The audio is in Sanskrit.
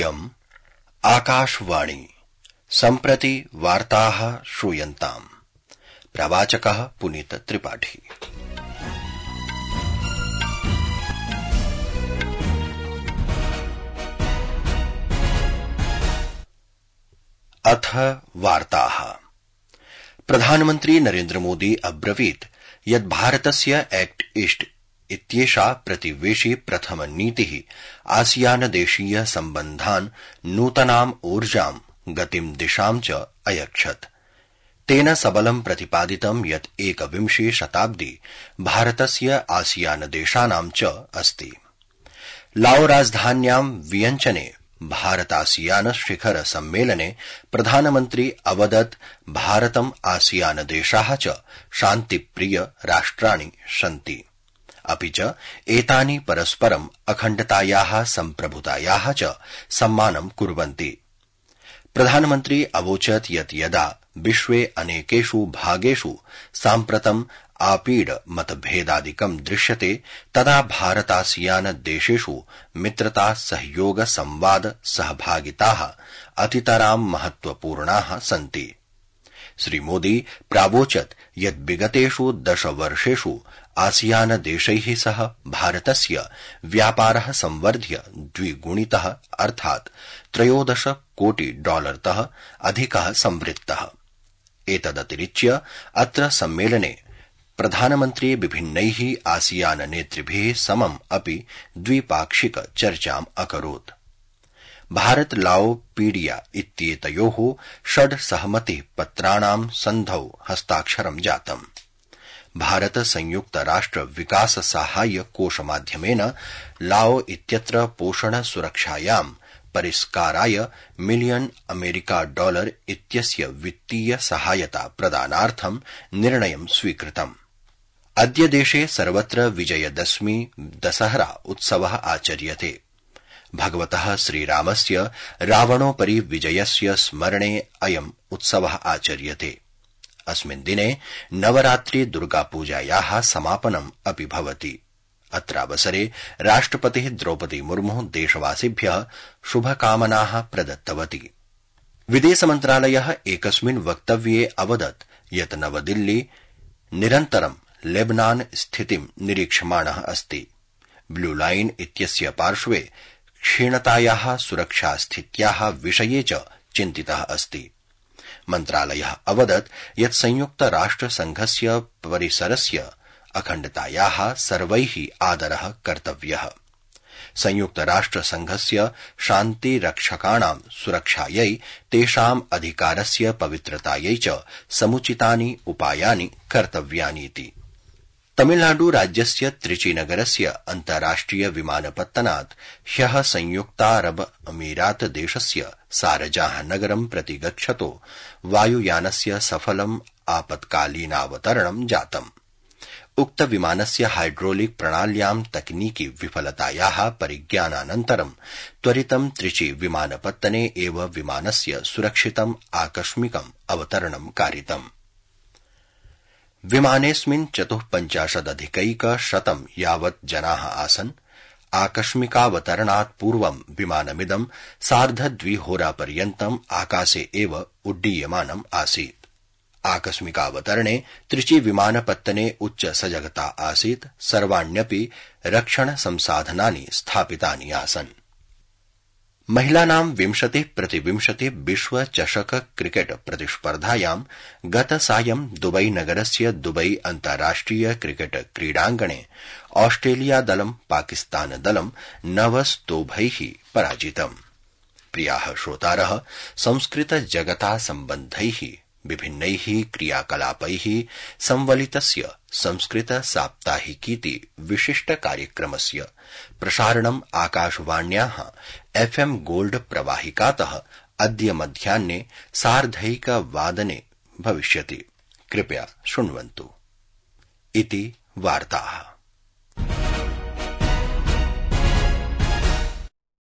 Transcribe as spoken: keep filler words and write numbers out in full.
इयम् आकाशवाणी सम्प्रति वार्ताः श्रूयन्ताम्। प्रवाचकः पुनीत त्रिपाठी। अथ वार्ताः। प्रधानमन्त्री नरेन्द्र मोदी अब्रवीत् यत् भारतस्य एक्ट ईस्ट इत्येषा प्रतिवेशी प्रथम नीतिः आसियान देशीय सम्बन्धान् नूतनाम् ऊर्जाम् गतिम् दिशाम् च अयच्छत्। तेन सबलं प्रतिपादितं यत् एकविंशे शताब्दी भारतस्य आसियान देशानां च अस्ति। लाओ राजधान्यां वियंचने भारतासियान शिखर सम्मेलने प्रधानमन्त्री अवदत् भारतम् आसियान देशाः च शान्तिप्रिय राष्ट्राणि सन्ति, अपि च एतानि परस्परम् अखण्डतायाः सम्प्रभुतायाः च सम्मानं कुर्वन्ति। प्रधानमन्त्री अवोचत् यत् यदा विश्वे अनेकेषु भागेषु साम्प्रतम् आपीड मतभेदादिकं दृश्यते तदा भारतासियान देशेषु मित्रता सहयोग संवाद सहभागिताः अतितरां महत्वपूर्णाः सन्ति। श्रीमोदी प्रावोचत् यत् विगतेषु दश वर्षेषु आसियान देशैः सह भारतस्य व्यापारः संवर्ध्य द्विगुणितः अर्थात् त्रयोदश कोटि डॉलरतः अधिकः संवृत्तः। एतदतिरिच्य अत्र सम्मेलने प्रधानमन्त्री विभिन्नैः आसियान नेतृभिः समम् अपि द्विपाक्षिक चर्चाम् अकरोत्। भारत लाओ पीडिया इत्येतयोः षड् सहमति पत्राणां सन्धौ हस्ताक्षरं जातम्। भारत संयुक्त राष्ट्र विकास साहाय्य कोषमाध्यमेन लाओ इत्यत्र पोषण सुरक्षायां परिष्काराय मिलियन अमेरिका डॉलर इत्यस्य वित्तीय सहायता प्रदानार्थं निर्णयं स्वीकृतम्। अद्य देशे सर्वत्र विजयदशमी दशहरा उत्सवः आचर्यते। भगवतः श्रीरामस्य रावणोपरि विजयस्य स्मरणे अयम् उत्सवः आचर्यते। अस्मिन् दिने नवरात्रि दुर्गापूजायाः समापनम् अपि भवति। अत्रावसरे राष्ट्रपतिः द्रौपदी मुर्मुः देशवासिभ्यः शुभकामनाः प्रदत्तवती। विदेशमन्त्रालयः एकस्मिन् वक्तव्ये अवदत् यत् नवदिल्ली निरन्तरं लेबनान स्थितिं निरीक्षमाणः अस्ति। ब्लू लाइन इत्यस्य पार्श्वे क्षीणतायाः सुरक्षास्थित्याः विषये च चिन्तितः अस्ति। मन्त्रालयः अवदत् यत् संयुक्त राष्ट्र संघस्य परिसरस्य अखण्डतायाः सर्वैः आदरः कर्तव्यः। संयुक्त राष्ट्र संघस्य शान्तिरक्षकाणां सुरक्षायै तेषाम् अधिकारस्य पवित्रतायै च समुचितानि उपायानि कर्तव्यानीति। तमिलनाडु राज्यस्य त्रिचीनगरस्य अन्ताराष्ट्रिय विमानपत्तनात् ह्यः संयुक्तारब अमीरात देशस्य सारजाह नगरं प्रति गच्छतो वायुयानस्य सफलम् आपत्कालीनावतरणं जातम्। उक्त विमानस्य हाइड्रोलिक प्रणाल्यां तकनीकी विफलतायाः परिज्ञानानन्तरं त्वरितं त्रिची विमानपत्तने एव विमानस्य सुरक्षितम् आकस्मिकम् अवतरणं कारितम्। विमानेऽस्मिन् चतुःपञ्चाशदधिकैकशतं यावत् जनाः आसन्। आकस्मिकावतरणात् पूर्वं विमानमिदं सार्धद्विहोरापर्यन्तम् आकाशे एव उड्डीयमानम् आसीत्। आकस्मिकावतरणे त्रिची विमानपत्तने उच्च सजगता आसीत्। सर्वाण्यपि रक्षण संसाधनानि स्थापितानि आसन्। महिलानां विंशतिः प्रतिविंशति विश्व चषक क्रिकेट प्रतिस्पर्धायां गतसायं दुबई नगरस्य दुबई अन्ताराष्ट्रिय क्रिकेट क्रीडाङ्गणे ऑस्ट्रेलिया दलं पाकिस्तान दलं नवस्तोभैः पराजितम्। प्रियाः श्रोतारः, संस्कृत जगता सम्बन्धैः विभिन्नैः क्रियाकलापैः संवलितस्य संस्कृत साप्ताहिकीति विशिष्ट कार्यक्रमस्य प्रसारणम् आकाशवाण्याः एफएम गोल्ड प्रवाहिकातः अद्य मध्याह्ने सार्धैकवादने भविष्यति। कृपया शृण्वन्तु। इति वार्ताः।